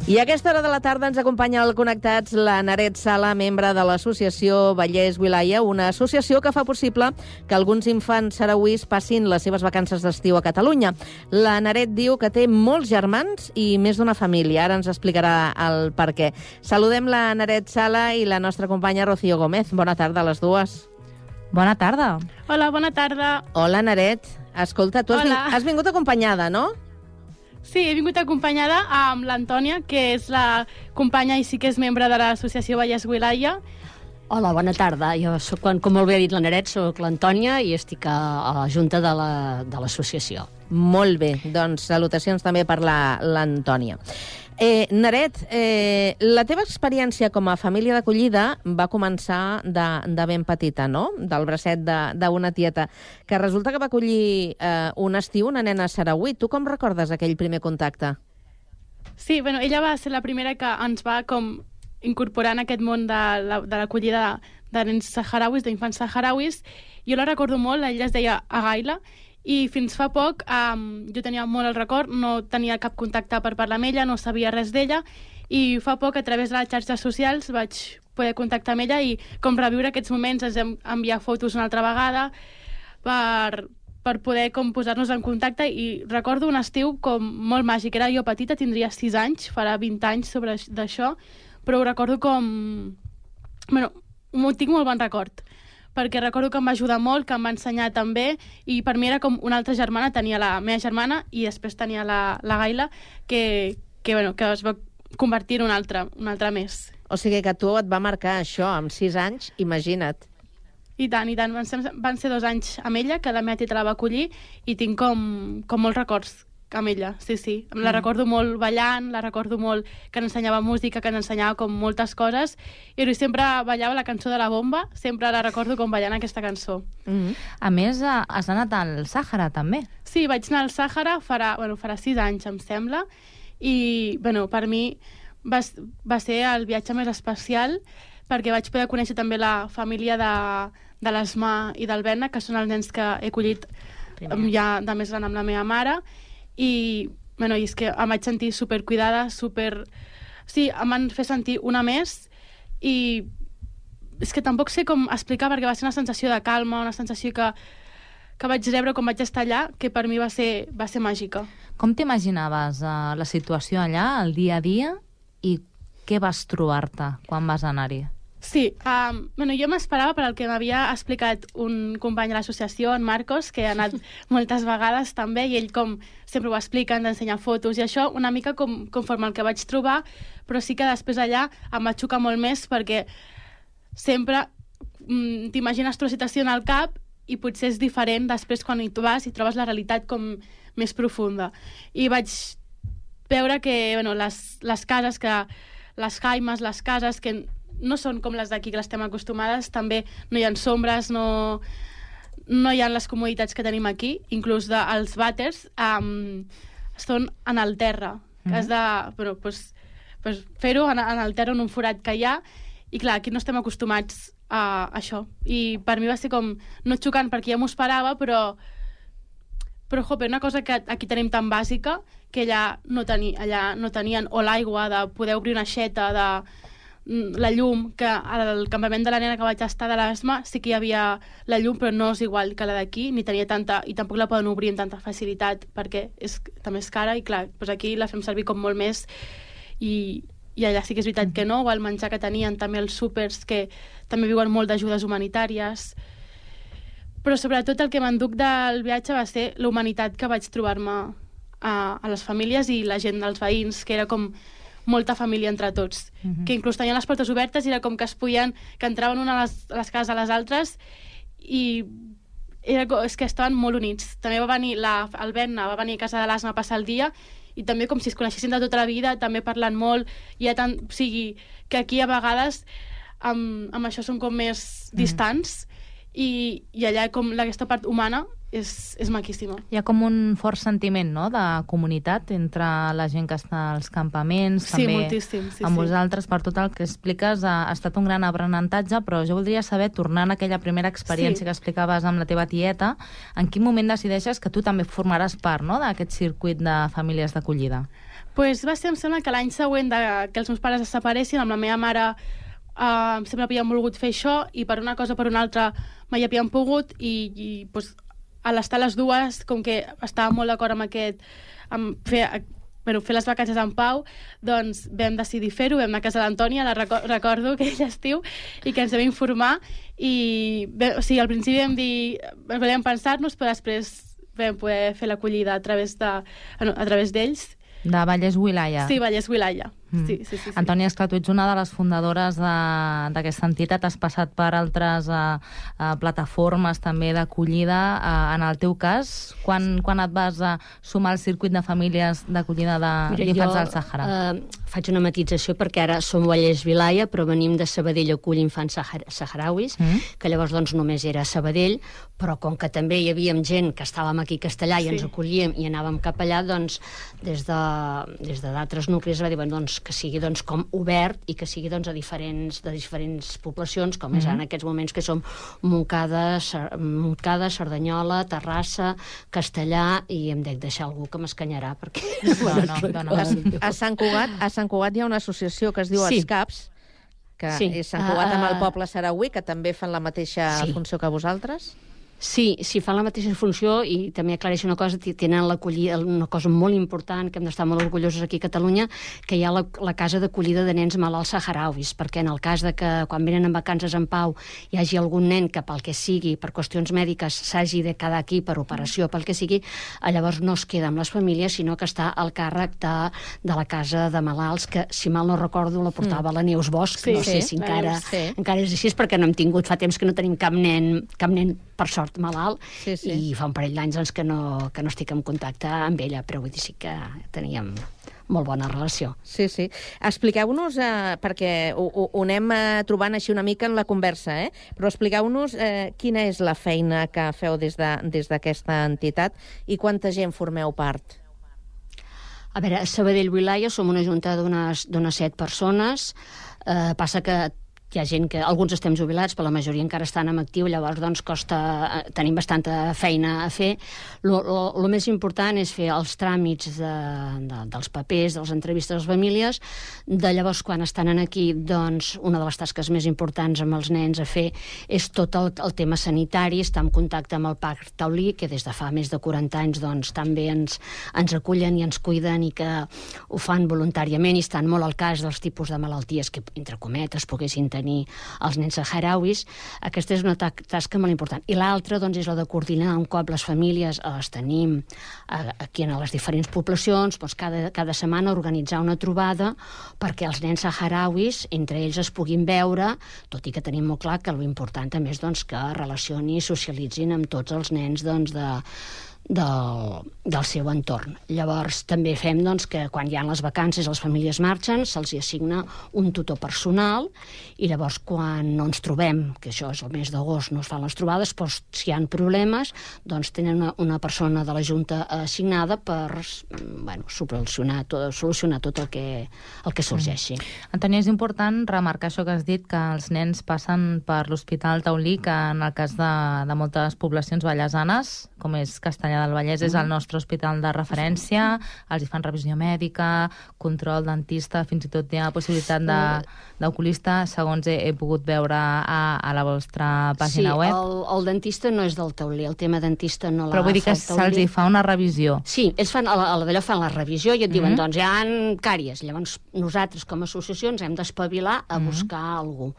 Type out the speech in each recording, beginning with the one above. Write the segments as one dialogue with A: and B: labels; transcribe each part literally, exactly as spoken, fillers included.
A: I a aquesta hora de la tarda ens acompanya al Connectats la Naret Sala, membre de l'associació Vallès Wilaya, una associació que fa possible que alguns infants sarauís passin les seves vacances d'estiu a Catalunya. La Naret diu que té molts germans i més d'una família. Ara ens explicarà el per què. Saludem la Naret Sala i la nostra companya Rocío Gómez. Bona tarda a les dues.
B: Bona tarda.
C: Hola, bona tarda.
A: Hola, Naret. Escolta, tu has,
C: Hola.
A: vin has vingut acompanyada, no?
C: Sí, he vingut acompanyada amb l'Antònia, que és la companya i sí que és membre de l'associació Vallès Wilaya.
D: Hola, bona tarda. Jo soc, com molt bé ha dit la Naret, soc l'Antònia i estic a, a la junta de l'associació. La,
A: Molt bé, doncs salutacions també per l'Antònia. Eh, Naret, eh, la teva experiència com a família d'acollida va començar de, de ben petita, no? Del bracet d'una tieta, que resulta que va acollir eh, un estiu una nena sarauí. Tu com recordes aquell primer contacte?
C: Sí, bueno, ella va ser la primera que ens va com incorporar en aquest món de l'acollida de, de nens saharauis, d'infants saharauis. Jo la recordo molt, ella es deia Agaila, i fins fa poc um, jo tenia molt el record, no tenia cap contacte per parlar amb ella, no sabia res d'ella, i fa poc a través de les xarxes socials vaig poder contactar amb ella i com reviure aquests moments, ens hem enviat fotos una altra vegada per, per poder com posar-nos en contacte, i recordo un estiu com molt màgic. Era jo petita, tindria sis anys, farà vint anys sobre d'això, però ho recordo com... Bueno, m'ho tinc molt bon record, perquè recordo que em va ajudar molt, que em va ensenyar també, i per mi era com una altra germana, tenia la meva germana i després tenia la, la Gaila, que, que, bueno, que es va convertir en una altra, una altra més.
A: O sigui que tu et va marcar això amb sis anys, imagina't.
C: I tant, i tant. Van ser, van ser dos anys amb ella, que la meva tieta la va acollir, i tinc com, com molts records amb ella, sí, sí. La mm. recordo molt ballant, la recordo molt que ens ensenyava música, que ens ensenyava com moltes coses, i ell sempre ballava la cançó de la bomba, sempre la recordo com ballant aquesta cançó.
B: Mm -hmm. A més, has anat al Sàhara, també.
C: Sí, vaig anar al Sàhara farà, bueno, farà sis anys, em sembla, i bueno, per mi va, va ser el viatge més especial, perquè vaig poder conèixer també la família de, de l'Esma i del Berna, que són els nens que he acollit Primer. ja de més gran amb la meva mare, i, bueno, i és que em vaig sentir supercuidada, super... Sí, em van fer sentir una més, i és que tampoc sé com explicar, perquè va ser una sensació de calma, una sensació que, que vaig rebre quan vaig estar allà, que per mi va ser, va ser màgica.
B: Com t'imaginaves uh, la situació allà, el dia a dia, i què vas trobar-te quan vas anar-hi?
C: Sí, um, bueno, jo m'esperava per al que m'havia explicat un company de l'associació, en Marcos, que ha anat moltes vegades també, i ell com sempre ho explica, ens ensenya fotos i això, una mica com, conforme el que vaig trobar, però sí que després allà em va xocar molt més, perquè sempre mm, t'imagines la situació en el cap i potser és diferent després quan hi vas i trobes la realitat com més profunda. I vaig veure que bueno, les, les cases, que les jaimes, les cases que no són com les d'aquí, que les estem acostumades, també no hi ha sombres, no, no hi ha les comoditats que tenim aquí, inclús de, els vàters um, són en el terra, que has de bueno, pues, pues fer-ho en, en el terra, en un forat que hi ha, i clar, aquí no estem acostumats a això, i per mi va ser com no xocant, perquè ja m'ho esperava, però però jope, una cosa que aquí tenim tan bàsica, que allà no, teni, allà no tenien, o l'aigua, de poder obrir una aixeta, de la llum, que al campament de la nena que vaig estar de l'Esma sí que hi havia la llum, però no és igual que la d'aquí, ni tenia tanta, i tampoc la poden obrir amb tanta facilitat, perquè és, també és cara, i clar, doncs aquí la fem servir com molt més, i, i allà sí que és veritat que no, o el menjar que tenien, també els súpers, que també viuen molt d'ajudes humanitàries, però sobretot el que m'enduc del viatge va ser la humanitat que vaig trobar-me a, a les famílies i la gent dels veïns, que era com molta família entre tots, uh-huh. que inclús tenien les portes obertes i era com que es podien, que entraven una a les, a les cases a les altres, i era, és que estaven molt units. També va venir la, el Berna, va venir a casa de l'Asma a passar el dia, i també com si es coneixessin de tota la vida, també parlant molt, i tant, o sigui, que aquí a vegades amb, amb això són com més uh-huh. distants, i, i allà com aquesta part humana és, és maquíssima.
B: Hi ha com un fort sentiment, no?, de comunitat entre la gent que està als campaments,
C: sí,
B: també
C: moltíssim, sí,
B: amb
C: sí.
B: vosaltres, per tot el que expliques, ha, ha estat un gran aprenentatge, però jo voldria saber, tornant a aquella primera experiència sí. que explicaves amb la teva tieta, en quin moment decideixes que tu també formaràs part, no?, d'aquest circuit de famílies d'acollida?
C: Pues va ser, em sembla, que l'any següent de que els meus pares es separessin, amb la meva mare uh, sempre havien volgut fer això i per una cosa o per una altra mai havien pogut i, i pues, a l'estar les dues, com que estava molt d'acord amb aquest... amb fer, bueno, fer les vacances en pau, doncs vam decidir fer-ho, vam anar a casa d'Antònia, la reco recordo aquell estiu, i que ens vam informar, i bé, o sigui, al principi vam dir, volíem pensar-nos, però després vam poder fer l'acollida a través de, a través d'ells.
B: De Vallès Wilaya.
C: Sí, Vallès Wilaya.
B: Mm.
C: Sí, sí, sí, sí.
B: Antònia, esclar, tu ets una de les fundadores d'aquesta entitat, has passat per altres uh, uh, plataformes també d'acollida. Uh, en el teu cas, quan, quan et vas uh, sumar al circuit de famílies d'acollida d'infants del Sàhara?
D: Uh, faig una matització perquè ara som Vallès Wilaya, però venim de Sabadell Acull Infants Saharauis, mm. que llavors doncs, només era Sabadell, però com que també hi havia gent que estàvem aquí a Castellà i sí. ens acollíem i anàvem cap allà, doncs des de des d'altres nuclis va dir, bueno, doncs, que sigui doncs, com obert i que sigui doncs, a diferents, de diferents poblacions, com mm -hmm. és en aquests moments que som Montcada, Montcada, Cerdanyola, Terrassa, Castellà, i em dec deixar algú que m'escanyarà perquè...
B: No, no, no, no.
A: A, a Sant Cugat, a Sant Cugat hi ha una associació que es diu sí. Escaps, que sí. és Sant Cugat amb el poble sarauí, que també fan la mateixa sí. funció que vosaltres.
D: Sí, sí, fan la mateixa funció i també aclareixo una cosa, tenen l'acollida, una cosa molt important, que hem d'estar molt orgullosos aquí a Catalunya, que hi ha la, la casa d'acollida de nens malalts saharauis, perquè en el cas de que quan venen en vacances en pau hi hagi algun nen que pel que sigui, per qüestions mèdiques, s'hagi de quedar aquí per operació, pel que sigui, llavors no es queda amb les famílies, sinó que està al càrrec de, de la casa de malalts, que si mal no recordo la portava mm. la Neus Bosch, sí, no sé sí, si encara, Neus, sí. encara és així, perquè no hem tingut, fa temps que no tenim cap nen, cap nen per sort malalt, sí, sí. i fa un parell d'anys doncs, que, no, que no estic en contacte amb ella, però vull dir sí que teníem molt bona relació.
A: Sí, sí. Expliqueu-nos, eh, perquè ho, ho, ho anem eh, trobant així una mica en la conversa, eh? però expliqueu-nos eh, quina és la feina que feu des de, des d'aquesta entitat i quanta gent formeu part.
D: A veure, a Sabadell Wilaya som una junta d'unes set persones, eh, passa que hi ha gent que... Alguns estem jubilats, però la majoria encara estan en actiu, llavors doncs costa... Tenim bastanta feina a fer. El més important és fer els tràmits de, de, dels papers, de les entrevistes a les famílies. De llavors, quan estan aquí, doncs, una de les tasques més importants amb els nens a fer és tot el, el tema sanitari, estar en contacte amb el Parc Taulí, que des de fa més de quaranta anys doncs, també ens, ens acullen i ens cuiden i que ho fan voluntàriament i estan molt al cas dels tipus de malalties que, entre cometes, poguessin tenir els nens saharauis. Aquesta és una tasca molt important. I l'altra doncs, és la de coordinar un cop les famílies les tenim aquí en les diferents poblacions, doncs cada, cada setmana organitzar una trobada perquè els nens saharauis entre ells es puguin veure, tot i que tenim molt clar que l'important també és doncs, que relacioni i socialitzin amb tots els nens doncs, de Del, del seu entorn. Llavors també fem doncs, que quan hi ha les vacances les famílies marxen, se'ls assigna un tutor personal i llavors quan no ens trobem, que això és el mes d'agost, no es fan les trobades, doncs si hi ha problemes doncs tenen una, una persona de la Junta assignada per bueno, solucionar, tot, solucionar tot el que, el que sorgeixi.
B: Mm. Antònia, és important remarcar això que has dit, que els nens passen per l'Hospital Taulí, que en el cas de, de moltes poblacions vallesanes, com és Castellà del Vallès, és el nostre hospital de referència, els hi fan revisió mèdica, control dentista, fins i tot hi ha possibilitat d'oculista, segons he, he pogut veure a, a la vostra pàgina
D: sí,
B: web.
D: Sí, el, el dentista no és del Taulí, el tema dentista no la
B: Però vull dir que se'ls hi fa una revisió.
D: Sí, ells fan, a d'allò fan la revisió i et diuen, mm-hmm. doncs hi ha càries. Llavors nosaltres com a associació ens hem d'espavilar a mm-hmm. buscar algú.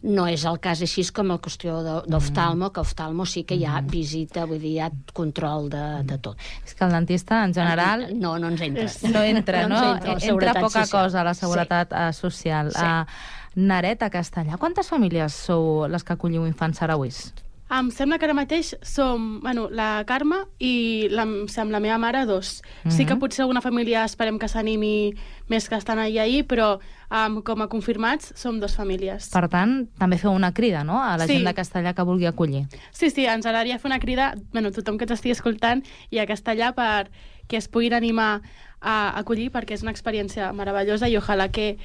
D: No és el cas així com la qüestió d'oftalmo, que oftalmo sí que hi ha visita, vull dir, hi ha control de de tot.
B: És que el dentista, en general...
D: No, no ens entra.
B: No entra, no? no entra, entra poca social. cosa a la seguretat sí. social.
D: Sí.
B: Uh, Naret, a Castellà, quantes famílies sou les que acolliu infants sarauis?
C: Em sembla que ara mateix som, bueno, la Carme i la, amb la meva mare dos. Mm-hmm. Sí que potser alguna família esperem que s'animi més que estan allà ahir, però um, com a confirmats som dos famílies.
B: Per tant, també feu una crida, no?, a la
C: sí.
B: gent de Castellà que vulgui acollir.
C: Sí, sí, ens agradaria fer una crida, bueno, tothom que ens estigui escoltant i a Castellà per que es puguin animar a acollir, perquè és una experiència meravellosa i ojalà que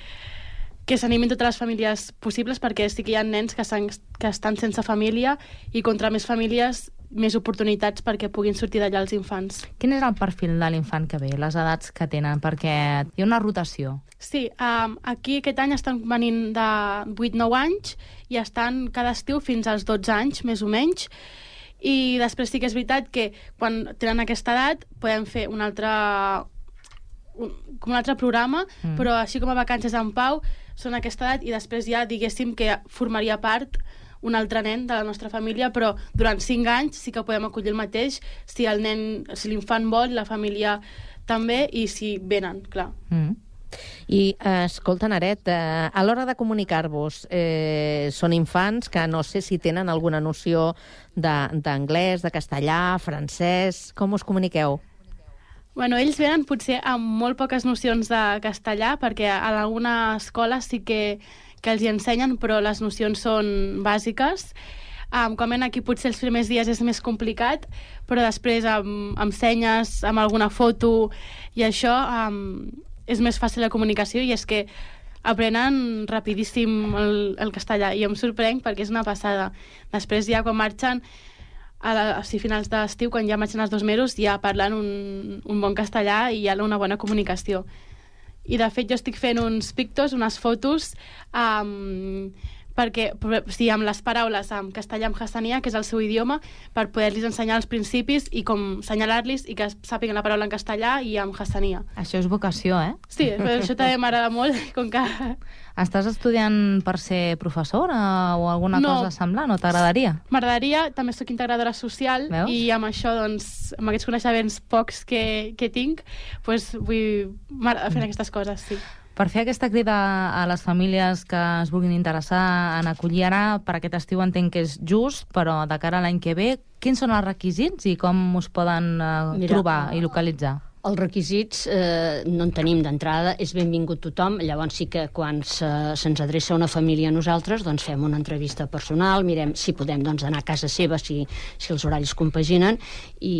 C: que s'animin totes les famílies possibles, perquè sí que hi ha nens que, que estan sense família i contra més famílies més oportunitats perquè puguin sortir d'allà els infants.
B: Quin és el perfil de l'infant que ve, les edats que tenen? Perquè hi ha una rotació.
C: Sí, um, aquí aquest any estan venint de vuit a nou anys i estan cada estiu fins als dotze anys, més o menys. I després sí que és veritat que quan tenen aquesta edat podem fer un altre, un, com un altre programa, mm. però així com a Vacances en Pau són aquesta edat i després ja diguéssim que formaria part un altre nen de la nostra família, però durant cinc anys sí que podem acollir el mateix si el nen, si l'infant vol, la família també, i si venen, clar.
B: Mm.
A: I, eh, escolta, Naret, eh, a l'hora de comunicar-vos, eh, són infants que no sé si tenen alguna noció d'anglès, de, de castellà, francès... Com us comuniqueu?
C: Bueno, ells venen potser amb molt poques nocions de castellà, perquè a alguna escola sí que que els hi ensenyen, però les nocions són bàsiques. Um, com ven aquí potser els primers dies és més complicat, però després amb, amb senyes, amb alguna foto i això um, és més fàcil la comunicació, i és que aprenen rapidíssim el, el castellà, i em sorprenc perquè és una passada. Després ja quan marxen a, la, a finals d'estiu, quan ja marxen els dos mesos, ja parlen un, un bon castellà i hi ha una bona comunicació. I, de fet, jo estic fent uns pictos, unes fotos, um, perquè, sí, amb les paraules en castellà, en hassania, que és el seu idioma, per poder-los ensenyar els principis i com assenyalar-los i que sàpiguen la paraula en castellà i en hassania.
B: Això és vocació, eh?
C: Sí, però això també m'agrada molt, com que...
B: Estàs estudiant per ser professora o alguna
C: no,
B: cosa semblant, o t'agradaria?
C: M'agradaria, també soc integradora social. Veus? I amb això, doncs, amb aquests coneixements pocs que, que tinc, doncs vull fer aquestes coses, sí.
B: Per fer aquesta crida a les famílies que es vulguin interessar en acollir ara, per aquest estiu entenc que és just, però de cara a l'any que ve, quins són els requisits i com us poden uh, Mira, trobar i localitzar?
D: Els requisits eh, no en tenim d'entrada, és benvingut tothom, llavors sí que quan se, se'ns adreça una família a nosaltres, doncs fem una entrevista personal, mirem si podem doncs, anar a casa seva, si, si els horaris compaginen, i,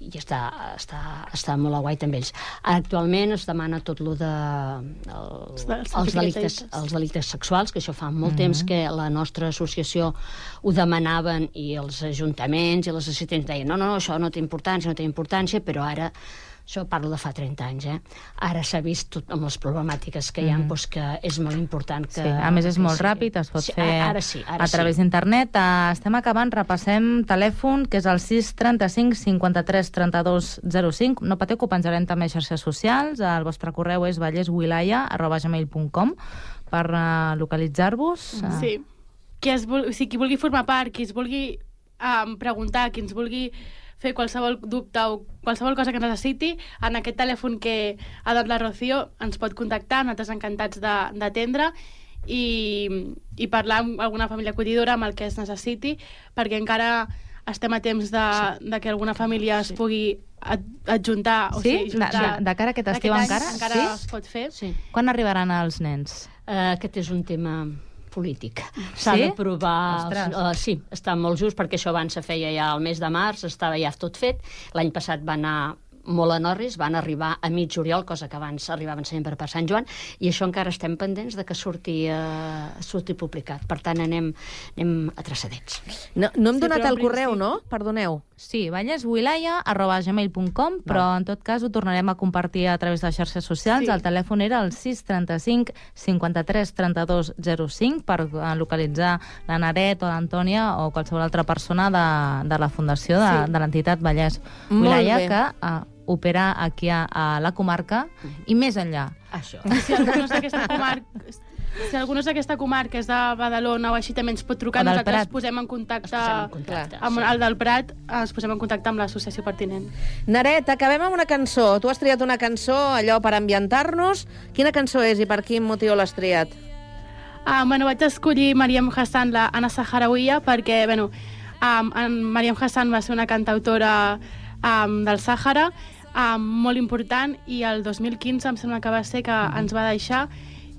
D: i està, està, està molt a guai també ells. Actualment es demana tot lo de el, els, delictes, els delictes sexuals, que això fa molt mm-hmm. temps que la nostra associació ho demanaven, i els ajuntaments i les assistents deien no, no, això no té importància, no té importància, però ara això parlo de fa trenta anys, eh? Ara s'ha vist tot amb les problemàtiques que hi ha, mm. doncs que és molt important que...
B: Sí, a més és molt sí. ràpid, es pot
D: sí,
B: fer
D: ara sí, ara
B: a través
D: sí.
B: d'internet. Uh, estem acabant, repassem telèfon, que és el sis trenta-cinc cinquanta-tres trenta-dos zero cinc. No pateu, que ho penjarem també a xarxes socials. El vostre correu és valleswilaya arroba gmail punt com per uh, localitzar-vos. Uh.
C: Sí. Qui, es vul... o sigui, qui vulgui formar part, qui es vulgui um, preguntar, qui ens vulgui fer qualsevol dubte o qualsevol cosa que necessiti, en aquest telèfon que ha dat la Rocío ens pot contactar, nosaltres encantats d'atendre i, i parlar amb alguna família acollidora amb el que es necessiti, perquè encara estem a temps de, sí. de que alguna família es pugui adjuntar. O
B: sí?
C: sigui, juntar,
B: de, de cara a aquest estiu
C: aquest
B: encara?
C: encara
B: sí?
C: es pot fer.
D: Sí.
B: Quan arribaran els nens?
D: Uh, aquest és un tema polític. S'ha
B: sí?
D: d'aprovar... Uh, sí, està molt just, perquè això abans se feia ja al mes de març, estava ja tot fet. L'any passat va anar molt en orris, van arribar a mig juliol, cosa que abans arribaven sempre per Sant Joan, i això encara estem pendents de que surti, uh, surti publicat. Per tant, anem, anem atrasadets.
A: No, no hem sí, donat el correu, sí. no? Perdoneu.
B: Sí, valleswilaya arroba gmail punt com, però en tot cas ho tornarem a compartir a través de les xarxes socials. Sí. El telèfon era el sis trenta-cinc cinquanta-tres trenta-dos zero cinc per localitzar la Naret o l'Antònia o qualsevol altra persona de, de la fundació de, sí. de l'entitat Vallès Wilaya, que uh, opera aquí a, a la comarca i més enllà.
D: Això.
C: Si algú no és d'aquesta comarca... Si algú no és d'aquesta comarca, és de Badalona o així, també ens pot trucar, nosaltres posem en contacte,
D: posem en contacte
C: amb
D: sí.
C: el del Prat, es posem en contacte amb l'associació pertinent.
A: Naret, acabem amb una cançó. Tu has triat una cançó, allò per ambientar-nos. Quina cançó és i per quin motiu l'has triat?
C: Ah, bueno, vaig escollir Mariam Hassan, la Anna Saharawiya, perquè, bueno, um, en Mariam Hassan va ser una cantautora um, del Sàhara, um, molt important, i el dos mil quinze em sembla que va ser que mm-hmm. ens va deixar,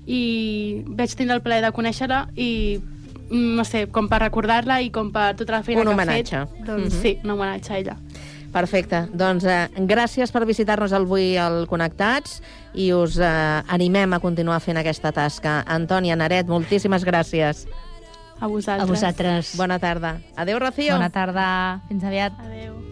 C: i vaig tindre el plaer de conèixer-la i, no sé, com per recordar-la i com per tota la feina
A: un
C: que
A: homenatge.
C: ha fet. Doncs
A: mm-hmm.
C: sí, un homenatge a ella.
A: Perfecte. Doncs eh, gràcies per visitar-nos avui al Connectats i us eh, animem a continuar fent aquesta tasca. Antònia, Naret, moltíssimes gràcies.
C: A vosaltres.
D: A vosaltres.
A: Bona tarda. Adéu, Rocío.
B: Bona tarda. Fins aviat.
C: Adéu.